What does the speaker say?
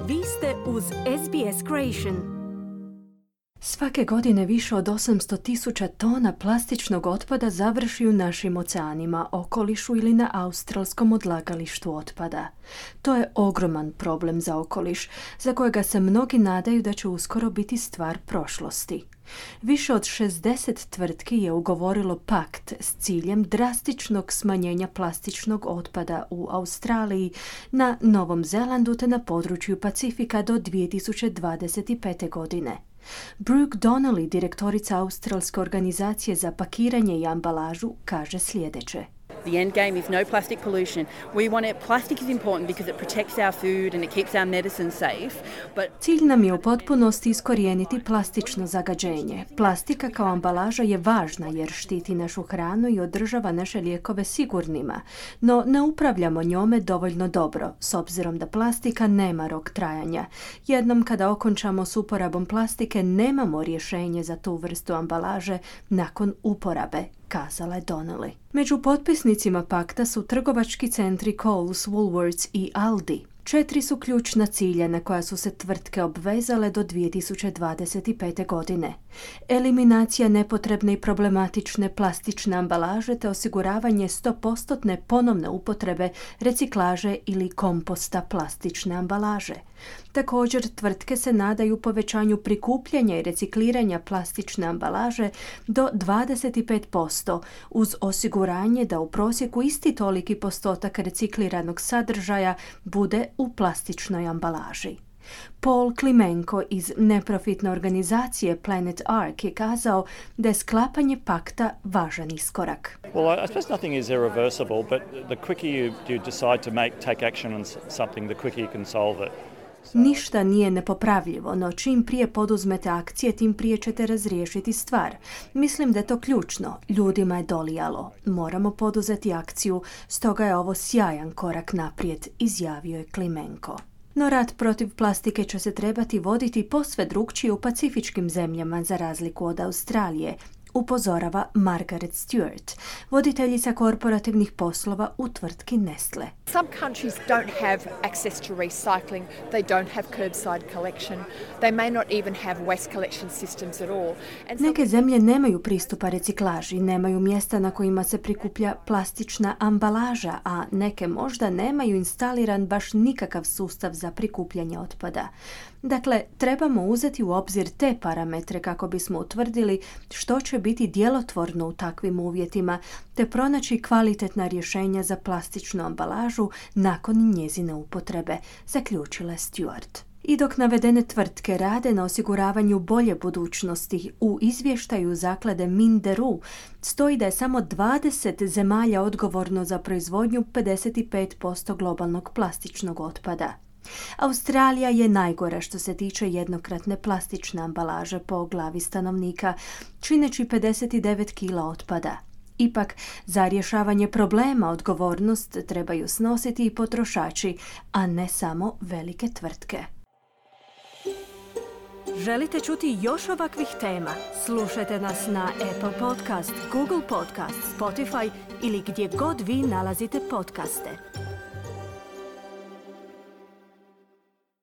Vi ste uz SBS Creation. Svake godine više od 800.000 tona plastičnog otpada završi u našim oceanima, okolišu ili na australskom odlagalištu otpada. To je ogroman problem za okoliš, za kojega se mnogi nadaju da će uskoro biti stvar prošlosti. Više od 60 tvrtki je ugovorilo pakt s ciljem drastičnog smanjenja plastičnog otpada u Australiji, na Novom Zelandu te na području Pacifika do 2025. godine. Brooke Donnelly, direktorica Australske organizacije za pakiranje i ambalažu, kaže sljedeće. The end game is no plastic pollution. We want it. Plastic is important because it protects our food and it keeps our medicine safe. But Cilj nam je u potpunosti iskorijeniti plastično zagađenje. Plastika kao ambalaža je važna jer štiti našu hranu i održava naše lijekove sigurnima, no ne upravljamo njome dovoljno dobro, s obzirom da plastika nema rok trajanja. Jednom kada okončamo s uporabom plastike, nemamo rješenje za tu vrstu ambalaže nakon uporabe, kazala je Donnelly. Među potpisnicima pakta su trgovački centri Coles, Woolworths i Aldi. 4 su ključna cilja na koja su se tvrtke obvezale do 2025. godine. Eliminacija nepotrebne i problematične plastične ambalaže te osiguravanje 100% ponovne upotrebe, reciklaže ili komposta plastične ambalaže. Također, tvrtke se nadaju povećanju prikupljanja i recikliranja plastične ambalaže do 25%, uz osiguranje da u prosjeku isti toliki postotak recikliranog sadržaja bude u plastičnoj ambalaži. Paul Klimenko iz neprofitne organizacije Planet Ark je kazao da je sklapanje pakta važan iskorak. Well, I suppose nothing is irreversible, but the quicker you decide to take action on something, the quicker you can solve it. Ništa nije nepopravljivo, no čim prije poduzmete akcije, tim prije ćete razriješiti stvar. Mislim da je to ključno. Ljudima je dolijalo. Moramo poduzeti akciju, stoga je ovo sjajan korak naprijed, izjavio je Klimenko. No rat protiv plastike će se trebati voditi posve drukčije u pacifičkim zemljama za razliku od Australije, upozorava Margaret Stewart, voditeljica korporativnih poslova u tvrtki Nestle. Some countries don't have access to recycling. They don't have curbside collection. They may not even have waste collection systems at all. Neke zemlje nemaju pristupa reciklaži, nemaju mjesta na kojima se prikuplja plastična ambalaža, a neke možda nemaju instaliran baš nikakav sustav za prikupljanje otpada. Dakle, trebamo uzeti u obzir te parametre kako bismo utvrdili što će biti djelotvorno u takvim uvjetima, te pronaći kvalitetna rješenja za plastičnu ambalažu nakon njezine upotrebe, zaključila Stewart. I dok navedene tvrtke rade na osiguravanju bolje budućnosti, u izvještaju zaklade Minderu stoji da je samo 20 zemalja odgovorno za proizvodnju 55% globalnog plastičnog otpada. Australija je najgora što se tiče jednokratne plastične ambalaže po glavi stanovnika, čineći 59 kila otpada. Ipak, za rješavanje problema odgovornost trebaju snositi i potrošači, a ne samo velike tvrtke. Želite čuti još ovakvih tema? Slušajte nas na Apple Podcast, Google Podcast, Spotify ili gdje god vi nalazite podcaste.